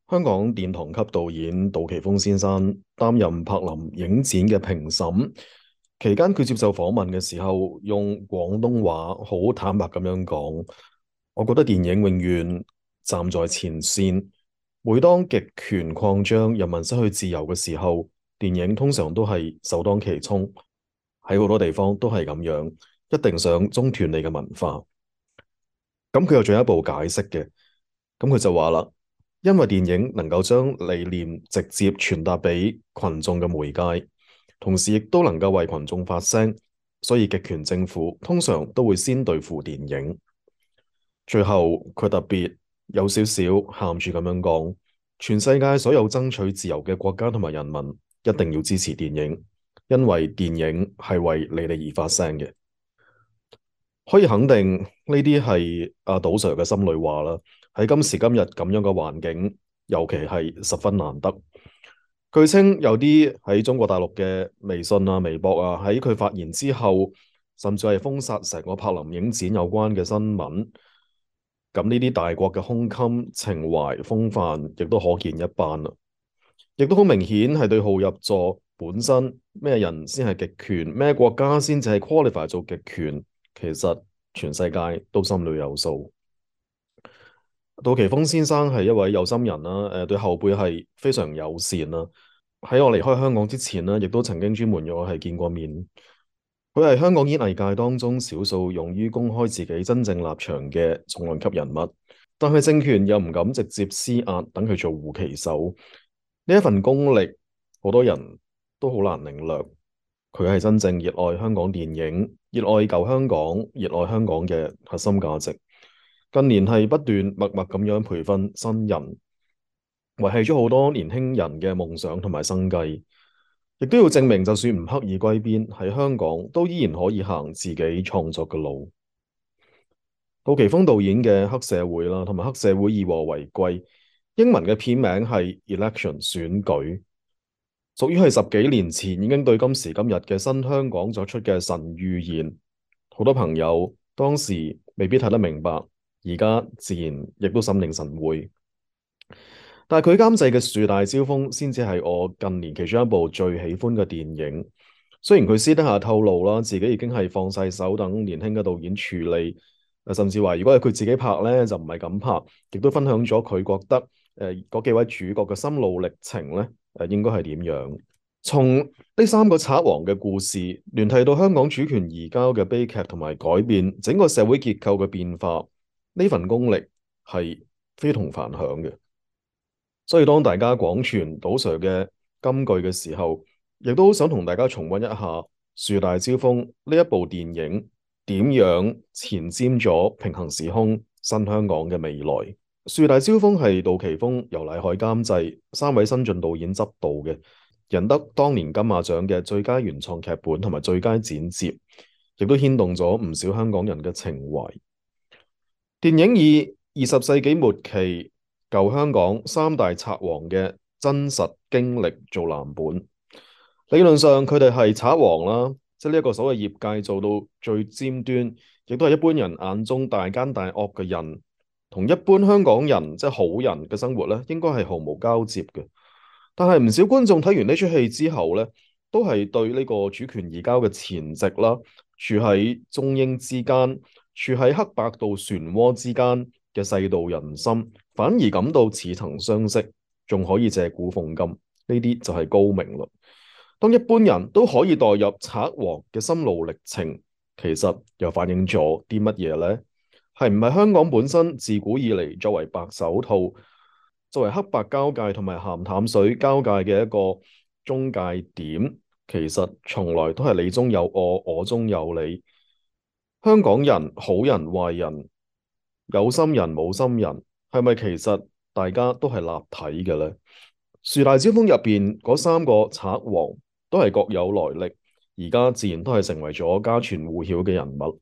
香港殿堂級導演杜琪峰先生擔任柏林影展嘅評審期間，佢接受訪問嘅時候，用廣東話好坦白咁樣講：我覺得電影永遠站在前線，每當極權擴張、人民失去自由嘅時候，電影通常都係首當其衝。喺好多地方都係咁樣，一定想中斷你嘅文化。咁佢又進一步解釋嘅，咁佢就話啦。因為電影能夠將理念直接傳達俾群眾嘅媒介，同時亦都能夠為群眾發聲，所以極權政府通常都會先對付電影。最後佢特別有少少喊住咁樣講：全世界所有爭取自由嘅國家同埋人民一定要支持電影，因為電影係為你哋而發聲嘅。可以肯定呢啲係阿杜 Sir 嘅心裏話啦。喺今時今日咁樣嘅環境，尤其係十分難得。據稱有啲喺中國大陸嘅微信啊、微博啊，喺佢發言之後，甚至係封殺成個柏林影展有關嘅新聞。咁呢啲大國嘅胸襟、情懷、風範，亦都可見一斑啦。亦都好明顯係對號入座本身，咩人先係極權，咩國家先至係 qualify 做極權，其實全世界都心裏有數。杜琪峰先生係一位有心人啦，對後輩係非常友善啦。喺我離開香港之前呢，亦都曾經專門約我係見過面。佢係香港演藝界當中少數勇於公開自己真正立場嘅重量級人物，但係政權又唔敢直接施壓，等佢做護旗手。呢一份功力，好多人都好難領略。佢係真正熱愛香港電影，熱愛舊香港，熱愛香港嘅核心價值。近年係不斷默默咁樣培訓新人，維繫咗好多年輕人嘅夢想同埋生計，亦都要證明，就算唔刻意歸邊，喺香港都依然可以行自己創作嘅路。杜琪峰導演嘅黑社會啦，同埋黑社會以和為貴，英文嘅片名係 Election 選舉，屬於係十幾年前已經對今時今日嘅新香港作出嘅神預言。好多朋友當時未必睇得明白，而家自然亦都心領神會。但係佢監製嘅《樹大招風》先至係我近年其中一部最喜歡嘅電影。雖然佢私底下透露啦，自己已經係放晒手等年輕嘅導演處理，甚至話如果係佢自己拍咧，就唔係咁拍，亦都分享咗佢覺得嗰幾位主角嘅心路歷程咧，應該係點樣？從呢三個賊王嘅故事聯繫到香港主權移交嘅悲劇同埋改變整個社會結構嘅變化，呢份功力係非同凡響嘅。所以當大家廣傳杜 Sir 嘅金句嘅時候，亦都好想同大家重溫一下《樹大招風》呢一部電影點樣前瞻咗平行時空新香港嘅未來。《樹大招風》係杜琪峰、游乃海監製，三位新晉導演執導嘅，贏得當年金馬獎嘅最佳原創劇本同埋最佳剪接，亦都牽動咗唔少香港人嘅情懷。電影以20世紀末期舊香港三大賊王嘅真實經歷做藍本，理論上佢哋係賊王啦，即係呢一個所謂業界做到最尖端，亦都係一般人眼中大奸大惡嘅人，同一般香港人即係好人嘅生活咧，應該係毫無交接嘅。但係唔少觀眾睇完呢出戲之後咧，都係對呢個主權移交嘅前夕啦，處喺中英之間，處喺黑白道漩渦之間嘅世道人心，反而感到似曾相識，仲可以借古諷今，呢啲就係高明啦。當一般人都可以代入賊王嘅心路歷程，其實又反映咗啲乜嘢呢？係唔係香港本身自古以嚟作為白手套，作為黑白交界同埋鹹淡水交界嘅一個中介點，其實從來都係你中有我，我中有你。香港人好人壞人，有心人冇心人，係咪其實大家都係立體嘅呢？樹大招風入邊嗰三個賊王都係各有來歷，而家自然都係成為咗家傳戶曉嘅人物。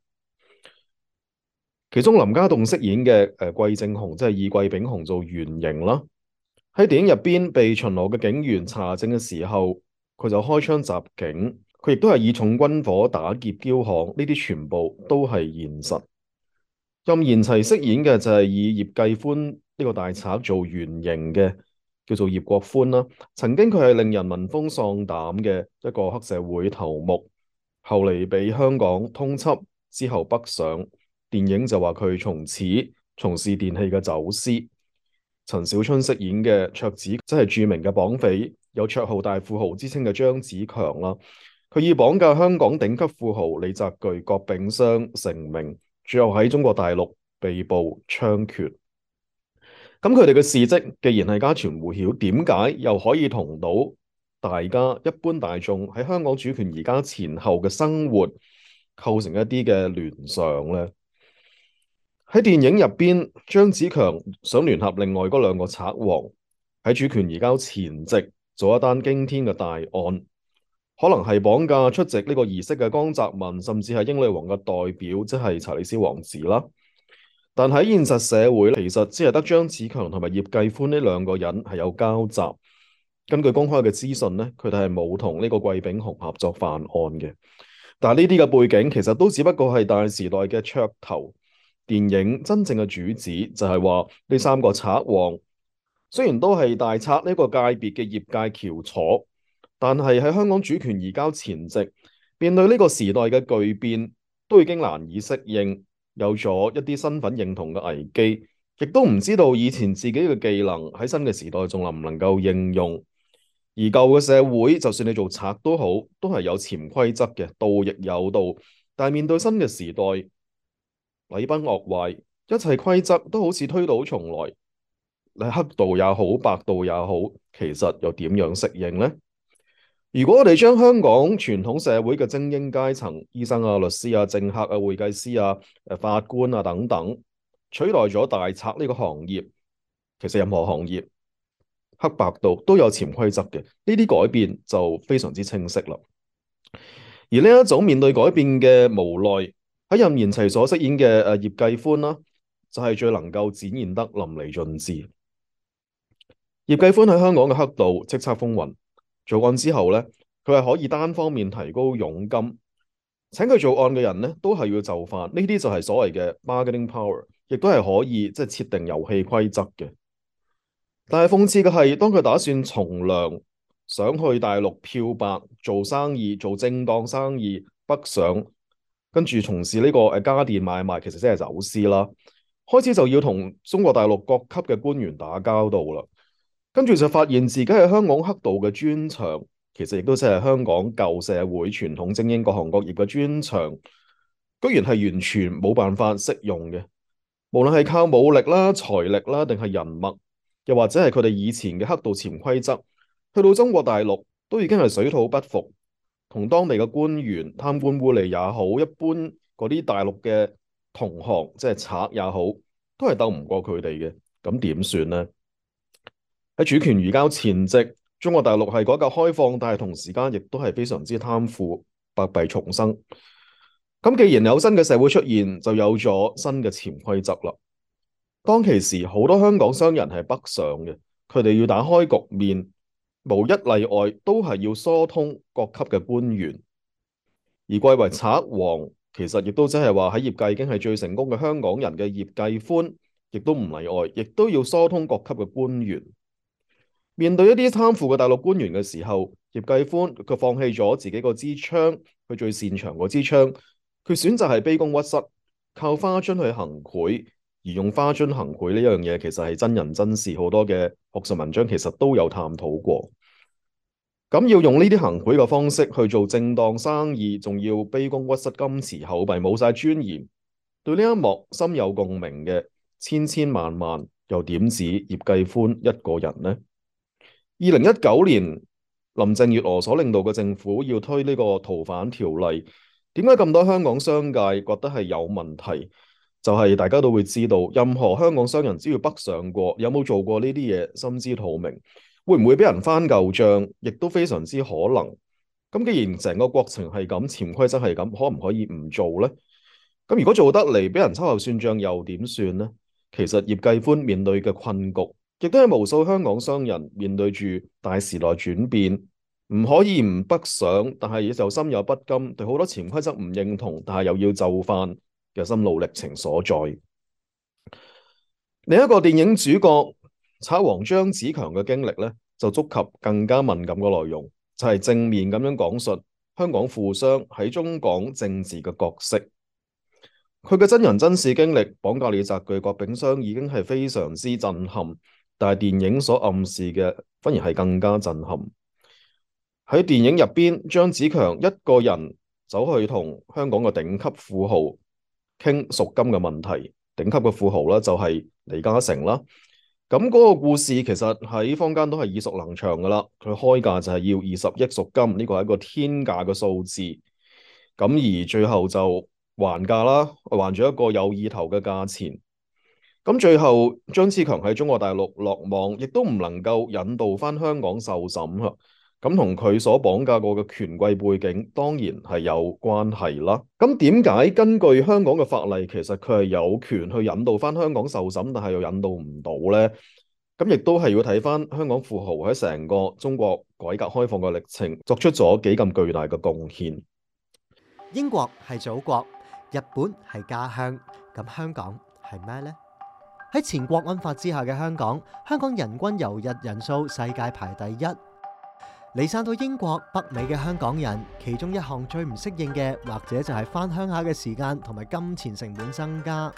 其中林家棟飾演嘅季正雄，即係以季炳雄做原型啦。喺電影入邊被巡邏嘅警員查證嘅時候，佢就開槍襲警，佢亦都係以重軍火打劫驕巷，呢啲全部都係現實。任賢齊飾演嘅就係以葉繼歡呢個大賊做原型嘅叫做葉國歡啦。曾經佢係令人聞風喪膽嘅一個黑社會頭目，後嚟俾香港通緝之後北上，電影就話佢從此從事電器嘅走私。陳小春飾演嘅卓子，即係著名嘅綁匪，有綽號大富豪之稱嘅張子強啦。佢以綁架香港頂級富豪李澤鉅、郭炳湘成名，最後喺中國大陸被捕槍決。咁佢哋嘅事蹟既然係家傳戶曉，點解又可以同到大家一般大眾喺香港主權移交前後嘅生活構成一啲嘅聯想呢？喺電影入邊，張子強想聯合另外嗰兩個賊王喺主權移交前夕做一單驚天嘅大案，可能係綁架出席呢個儀式嘅江澤民，甚至係英女王嘅代表，即係查理斯王子啦。但喺現實社會，其實只係得張子強同埋葉繼歡呢兩個人係有交集。根據公開嘅資訊呢，佢哋係冇同呢個季炳雄合作犯案嘅。但係呢啲嘅背景其實都只不過係大時代嘅噱頭。電影真正嘅主旨就係話呢三個賊王雖然都係大賊呢個界別嘅業界翹楚，但係喺香港主權移交前夕，面對呢個時代嘅巨變，都已經難以適應，有咗一啲身份認同嘅危機，亦都唔知道以前自己嘅技能喺新嘅時代仲能唔能夠應用。而舊嘅社會，就算你做賊都好，都係有潛規則嘅，道亦有道。但係面對新嘅時代，禮崩樂壞，一切規則都好似推倒重來。你黑道也好，白道也好，其實又點樣適應呢？如果我哋將香港傳統社會嘅精英階層，醫生啊、律師啊、政客啊、會計師啊、法官啊等等，取代咗大賊呢個行業，其實任何行業黑白道都有潛規則嘅，呢啲改變就非常之清晰啦。而呢一種面對改變嘅無奈，喺任賢齊所飾演嘅葉繼歡啦，就係最能夠展現得淋漓盡致。葉繼歡喺香港嘅黑道叱咤風雲，做案之後咧，佢係可以單方面提高佣金，請佢做案嘅人咧都係要就範，呢啲就係所謂嘅 bargaining power，亦都係可以即係設定遊戲規則嘅。但係諷刺嘅係，當佢打算從良，想去大陸漂白做生意，做正當生意北上，跟住從事呢個家電買賣，其實即係走私啦。開始就要同中國大陸各級嘅官員打交道啦。跟住就發現自己係香港黑道嘅專長，其實亦都即係香港舊社會傳統精英各行各業嘅專長，居然係完全冇辦法適用嘅。無論係靠武力啦、財力啦，定係人脈，又或者係佢哋以前嘅黑道潛規則，去到中國大陸都已經係水土不服，同當地嘅官員貪官污吏也好，一般嗰啲大陸嘅同行即係賊也好，都係鬥唔過佢哋嘅。咁點算呢？喺主權移交前夕，中國大陸係改革開放，但係同時間亦都係非常之貪腐，百弊叢生。咁既然有新嘅社會出現，就有咗新嘅潛規則啦。當其時，好多香港商人係北上嘅，佢哋要打開局面，無一例外都係要疏通各級嘅官員。而貴為賊王，其實亦都即係話喺業界已經係最成功嘅香港人嘅葉繼歡，亦都唔例外，亦都要疏通各級嘅官員。面對一啲貪腐嘅大陸官員嘅時候，葉繼歡佢放棄咗自己個支槍，佢最擅長嗰支槍，佢選擇係卑躬屈膝，靠花樽去行賄。而用花樽行賄呢樣嘢，其實係真人真事，好多嘅學術文章其實都有探討過。咁要用呢啲行賄嘅方式去做正當生意，仲要卑躬屈膝、金辭厚弊，冇晒尊嚴。對呢一幕深有共鳴嘅千千萬萬，又點止葉繼歡一個人呢？2019年，林鄭月娥所領導嘅政府要推呢個逃犯條例，點解咁多香港商界覺得係有問題？就係大家都會知道，任何香港商人只要北上過，有冇做過呢啲嘢，心知肚明，會唔會俾人翻舊賬，亦都非常之可能。咁既然成個過程係咁，潛規則係咁，可唔可以唔做呢？咁如果做得嚟，俾人秋後算賬又點算呢？其實葉繼歡面對嘅困局，亦都係無數香港商人面對住大時代轉變，唔可以唔北上，但係就心有不甘，對好多潛規則唔認同，但係又要就範嘅心路歷程所在。另一個電影主角賊王張子強嘅經歷咧，就觸及更加敏感嘅內容，就係正面咁樣講述香港富商喺中港政治嘅角色。佢嘅真人真事經歷，綁架李澤鉅、郭炳湘已經係非常之震撼，但係電影所暗示嘅反而係更加震撼。喺電影入邊，張子強一個人走去同香港嘅頂級富豪傾贖金嘅問題，頂級嘅富豪咧就係李嘉誠啦。咁嗰個故事其實喺坊間都係耳熟能詳噶啦，佢開價就係要20億贖金，呢個係一個天價嘅數字。咁而最後就還價啦，還咗一個有意頭嘅價錢。咁最後張子強喺中國大陸落網，亦都唔能夠引渡翻香港受審啊。咁同佢所綁架過嘅權貴背景當然係有關係啦。咁點解根據香港嘅法例，其實佢係有權去引渡翻香港受審，但係又引渡唔到呢？咁亦都係要睇翻香港富豪喺成個中國改革開放嘅歷程，作出咗幾咁巨大嘅貢獻。英國係祖國，日本係家鄉，咁香港係咩呢？喺前國安法之下嘅香港，香港人均遊日人數世界排第一。離散到英國、北美嘅香港人，其中一項最唔適應嘅，或者就係返鄉下嘅時間同埋金錢成本增加。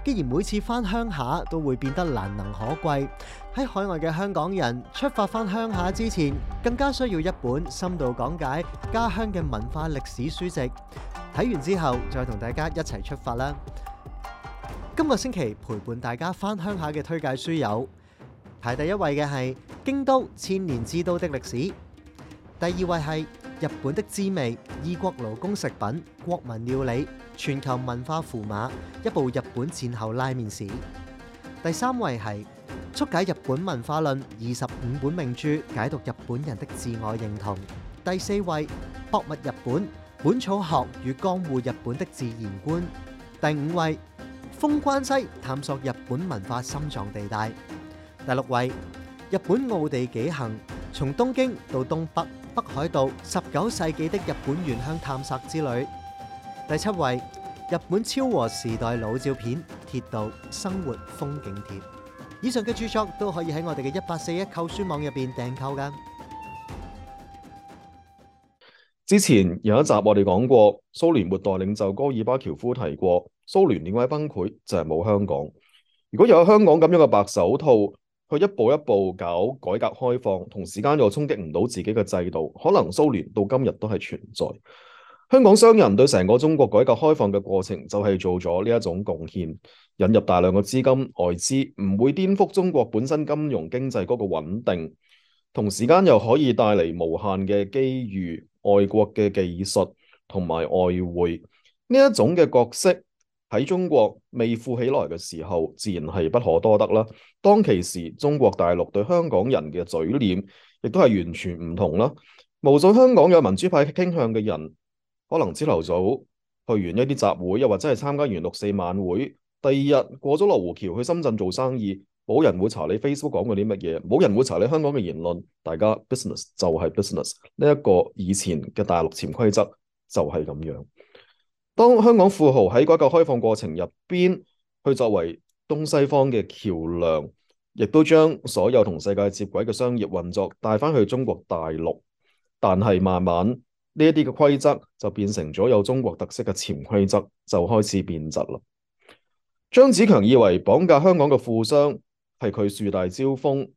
既然每次返鄉下都會變得難能可貴，喺海外嘅香港人出發返鄉下之前，更加需要一本深度講解家鄉嘅文化歷史書籍。睇完之後，再同大家一齊出發啦！今個星期陪伴大家返鄉下嘅推介書有：排第一位嘅係《京都千年之都的歷史》。第二位係日本的滋味，異國勞工食品、國民料理、全球文化符碼，一部日本戰後拉麵史。第三位係速解日本文化論25本名著，解讀日本人的自我認同。第四位博物日本，本草學與江戶日本的自然觀。第五位封關西，探索日本文化心臟地帶。第六位日本奧地紀行，從東京到東北北海道19世紀的日本原鄉探索之旅。第七位日本昭和時代老照片鐵道生活風景貼。以上嘅著作都可以喺我哋嘅1841購書網入邊訂購㗎。之前有一集我哋講過，蘇聯末代領袖戈爾巴喬夫提過，蘇聯點解崩潰就係冇香港。如果有香港咁樣嘅白手套，去一步一步搞改革開放，同時間又衝擊唔到自己嘅制度，可能蘇聯到今日都係存在。香港商人對成個中國改革開放嘅過程就係做咗呢一種貢獻，引入大量嘅資金外資，唔會顛覆中國本身金融經濟嗰個穩定，同時間又可以帶嚟無限嘅機遇、外國嘅技術同埋外匯。呢一種嘅角色喺中國未富起來嘅時候，自然係不可多得啦。當其時，中國大陸對香港人嘅嘴臉，亦都係完全唔同啦。無數香港有民主派傾向嘅人，可能朝頭早去完一啲集會，又或者係參加完6·4晚會，第二日過咗羅湖橋去深圳做生意，冇人會查你 Facebook 講過啲乜嘢，冇人會查你香港嘅言論，大家 business 就係 business。呢一個以前嘅大陸潛規則就係咁樣。當香港富豪喺改革開放過程入邊，去作為東西方嘅橋樑，亦都將所有同世界接軌嘅商業運作帶翻去中國大陸，但係慢慢呢一啲嘅規則就變成咗有中國特色嘅潛規則，就開始變質啦。張子強以為綁架香港嘅富商係佢樹大招風，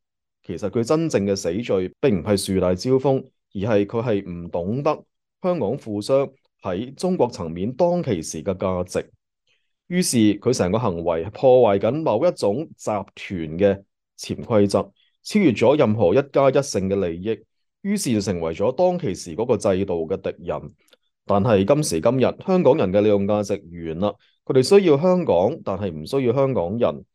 其實佢真正嘅死罪並唔係樹大招風，而係佢係唔懂得香港富商喺中國層面當其時嘅價值，於是佢成個行為係破壞緊某一種集團嘅潛規則，超越咗任何一家一姓嘅利益，於是就成為咗當其時嗰個制度嘅敵人。但係今時今日，香港人嘅利用價值完啦，佢哋需要香港，但係唔需要香港人。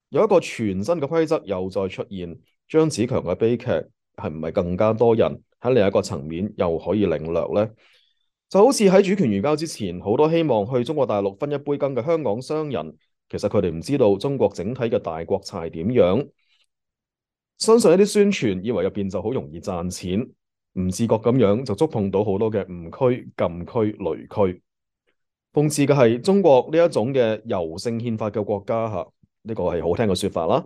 有一個全新嘅規則又再出現，張子強嘅悲劇係唔係更加多人喺另一個層面又可以領略呢？就好似喺主權移交之前，好多希望去中國大陸分一杯羹嘅香港商人，其實佢哋唔知道中國整體嘅大國策點樣，相信一啲宣傳，以為入邊就好容易賺錢，唔自覺咁樣就觸碰到好多嘅誤區、禁區、雷區。諷刺嘅係中國呢一種嘅柔性憲法嘅國家，呢個係好聽嘅說法啦，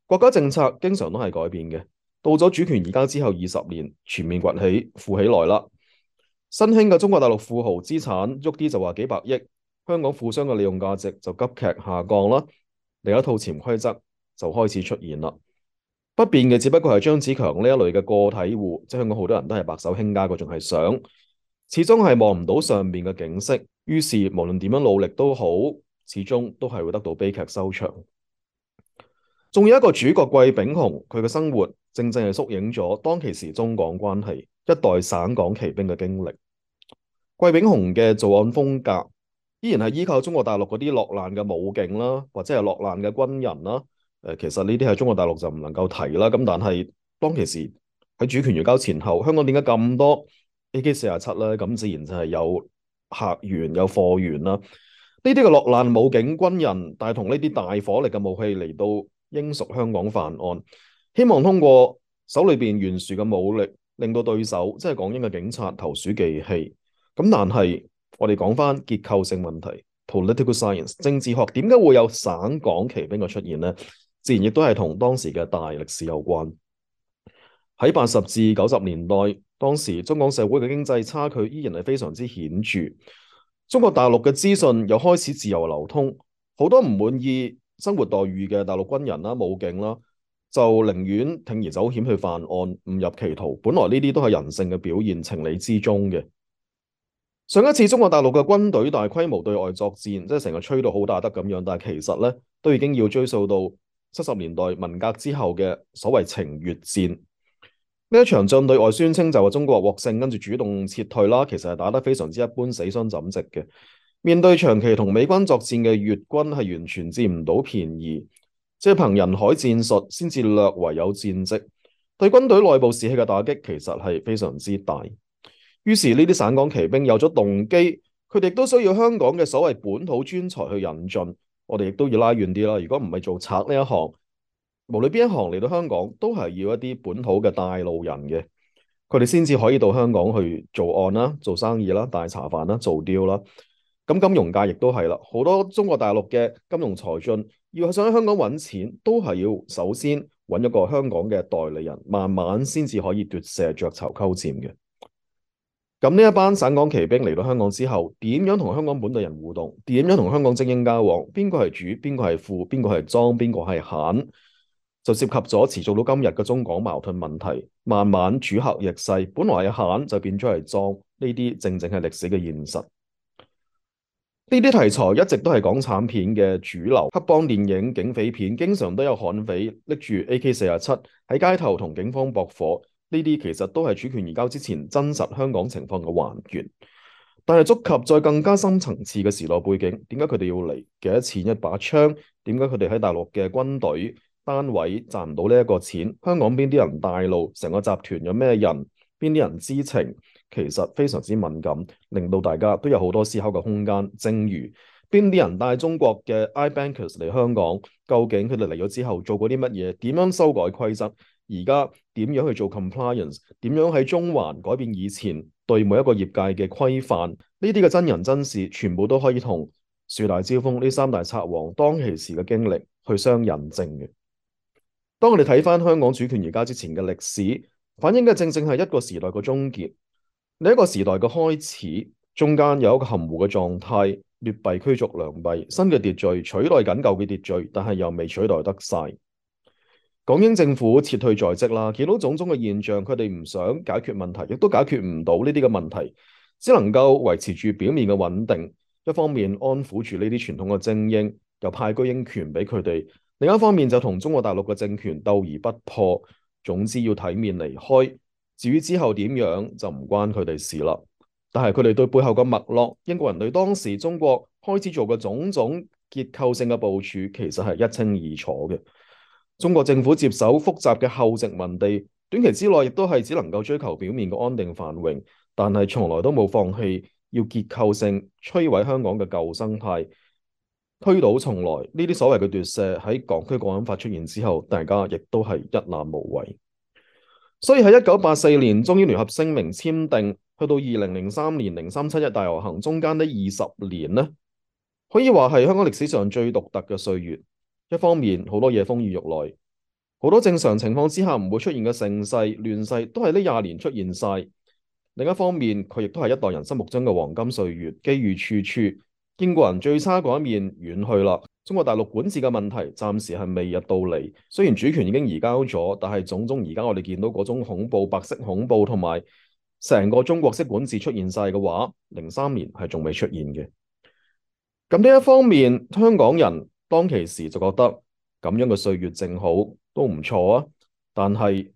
國家政策經常都係改變嘅。到咗主權移交之後20年，全面崛起，富起來啦。新興嘅中國大陸富豪資產喐啲就話幾百億，香港富商嘅利用價值就急劇下降啦。另一套潛規則就開始出現啦。不變嘅只不過係張子強呢一類嘅個體戶，即係香港好多人都係白手興家，嗰種係想，始終係望唔到上面嘅景色，於是無論點樣努力都好，始終都係會得到悲劇收場。仲有一個主角季炳雄，佢嘅生活正正係縮影咗當其時中港關係一代省港旗兵嘅經歷。季炳雄嘅作案風格依然係依靠中國大陸嗰啲落難嘅武警啦，或者係落難嘅軍人啦。其實呢啲喺中國大陸就唔能夠提啦。咁但係當其時喺主權移交前後，香港點解咁多 AK-47咧？咁自然就係有客源有貨源啦。呢啲嘅落難武警軍人帶同呢啲大火力嘅武器嚟到英屬香港犯案，希望通過手裏邊懸殊嘅武力，令到對手即係港英嘅警察投鼠忌器。咁但係我哋講翻結構性問題 ，political science 政治學點解會有省港旗兵嘅出現呢？自然亦都係同當時嘅大歷史有關。喺80至90年代，當時中港社會嘅經濟差距依然係非常之顯著。中國大陸嘅資訊又開始自由流通，好多唔滿意生活待遇嘅大陸軍人啦、武警啦，就寧願鋌而走險去犯案，誤入歧途。本來呢啲都係人性嘅表現，情理之中嘅。上一次中國大陸嘅軍隊大規模對外作戰，即係成日吹到好打得咁樣，但係其實咧都已經要追溯到70年代文革之後嘅所謂情越戰。呢一場仗對外宣稱就話中國獲勝，跟住主動撤退啦，其實係打得非常之一般，死傷枕藉嘅。面對長期同美軍作戰嘅粵軍係完全佔唔到便宜，即係憑人海戰術先至略為有戰績，對軍隊內部士氣嘅打擊其實係非常之大。於是呢啲省港旗兵有咗動機，佢哋都需要香港嘅所謂本土專才去引進，我哋亦都要拉遠啲啦。如果唔係做賊呢一行，無論邊一行嚟到香港，都係要一啲本土嘅帶路人嘅，佢哋先至可以到香港去做案啦、做生意啦、大茶飯啦、做雕啦。咁金融界亦都係啦，好多中國大陸嘅金融才俊要想喺香港揾錢，都係要首先揾一個香港嘅代理人，慢慢先至可以奪舍鵲巢鳩佔嘅。咁呢一班省港旗兵嚟到香港之後，點樣同香港本地人互動？點樣同香港精英交往？邊個係主？邊個係副？邊個係莊？邊個係閒？就涉及咗持續到今日嘅中港矛盾問題。慢慢主客易勢，本來係閒就變咗係莊，呢啲正正係歷史嘅現實。呢啲題材一直都係港產片嘅主流，黑幫電影、警匪片經常都有悍匪拎住 AK-47喺街頭同警方駁火。呢啲其實都係主權移交之前真實香港情況嘅還原，但係觸及再更加深層次嘅時代背景，點解佢哋要嚟？幾多錢一把槍？點解佢哋喺大陸嘅軍隊單位賺唔到呢一個錢？香港邊啲人帶路？成個集團有咩人？邊啲人知情？其實非常之敏感，令到大家都有好多思考嘅空間。正如邊啲人帶中國嘅 iBankers 嚟香港？究竟佢哋嚟咗之後做過啲乜嘢？點樣修改規則？而家點樣去做 compliance？點樣喺中環改變以前對每一個業界嘅規範？呢啲嘅真人真事，全部都可以同樹大招風呢三大賊王當其時嘅經歷去相印證嘅。當我哋睇翻香港主權移交之前嘅歷史，反映嘅正正係一個時代嘅終結，另一個時代嘅開始。中間有一個含糊嘅狀態，劣幣驅逐良幣，新嘅秩序取代緊舊嘅秩序，但係又未取代得晒。港英政府撤退在即啦，見到種種嘅現象，佢哋唔想解決問題，亦都解決唔到呢啲嘅問題，只能夠維持住表面嘅穩定。一方面安撫住呢啲傳統嘅精英，又派居英權俾佢哋；另一方面就同中國大陸嘅政權鬥而不破。總之要體面離開，至於之後點樣就唔關佢哋事啦。但係佢哋對背後嘅脈絡，英國人對當時中國開始做嘅種種結構性嘅部署，其實係一清二楚嘅。中國政府接手複雜嘅後殖民地，短期之內亦都係只能夠追求表面嘅安定繁榮，但係從來都冇放棄要結構性摧毀香港嘅舊生態，推倒重來。呢啲所謂嘅奪舍喺港區國安法出現之後，大家亦都係一覽無遺。所以喺1984年中英聯合聲明簽訂，去到2003年0371大遊行中間呢20年呢，可以話係香港歷史上最獨特嘅歲月。一方面好多嘢風雨欲來，好多正常情況之下唔會出現嘅盛世、亂世，都係呢20年出現晒。另一方面，佢亦都係一代人心目中嘅黃金歲月，機遇處處。英國人最差嗰一面遠去啦，中國大陸管治嘅問題暫時係未入到嚟。雖然主權已經移交咗，但係種種而家我哋見到嗰種恐怖、白色恐怖同埋成個中國式管治出現晒嘅話，03年係仲未出現嘅。咁呢一方面，香港人當其時就覺得咁樣嘅歲月正好都唔錯啊。但係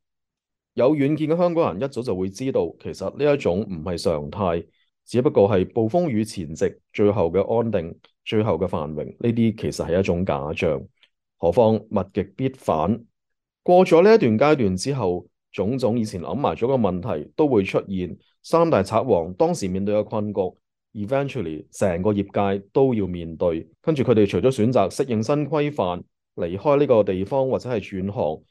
有遠見嘅香港人一早就會知道，其實呢一種唔係常態，只不過係暴風雨前夕最後嘅安定、最後嘅繁榮。呢啲其實係一種假象。何況物極必反，過咗呢一段階段之後，種種以前諗埋咗嘅問題都會出現。三大賊王當時面對嘅困局，eventually 成個業界都要面對。跟住佢哋除咗選擇適應新規範，離開呢個地方或者係轉行，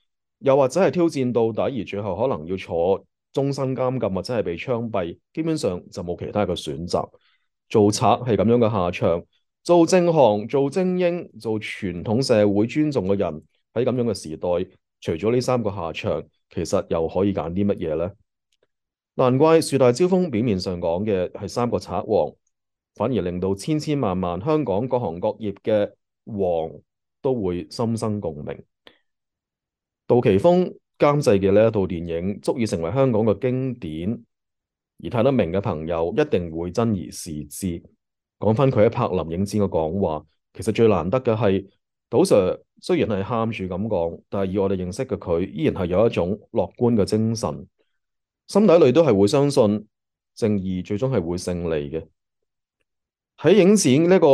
又或者係挑戰到底，而最後可能要坐終身監禁或者係被槍斃，基本上就冇其他嘅選擇。做賊係咁樣嘅下場，做正行、做精英、做傳統社會尊重嘅人，喺咁樣嘅時代，除咗呢三個下場，其實又可以揀啲乜嘢呢？難怪樹大招風表面上講嘅係三個賊王，反而令到千千萬萬香港各行各業嘅王都會心生共鳴。杜琪峰監製嘅呢一套電影足以成為香港嘅經典，而睇得明嘅朋友一定會珍而視之。講翻佢喺柏林影展嘅講話，其實最難得嘅係杜 Sir 雖然係喊住咁講，但係以我哋認識嘅佢，依然係有一種樂觀嘅精神，心底裏都係會相信正義最終係會勝利嘅。喺影展呢個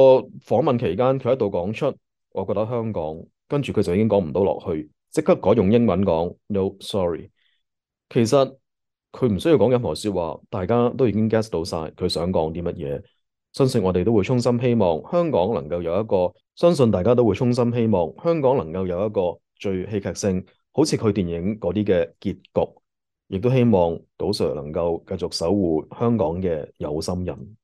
訪問期間，佢喺度講出，我覺得香港，跟住佢就已經講唔到落去，即刻改用英文講 No sorry。其實佢唔需要講任何說話，大家都已經 guess 到晒佢想講啲乜嘢。相信我哋都會衷心希望香港能夠有一個，相信大家都會衷心希望香港能夠有一個最戲劇性，好似佢電影嗰啲嘅結局，亦都希望杜 Sir 能夠繼續守護香港嘅有心人。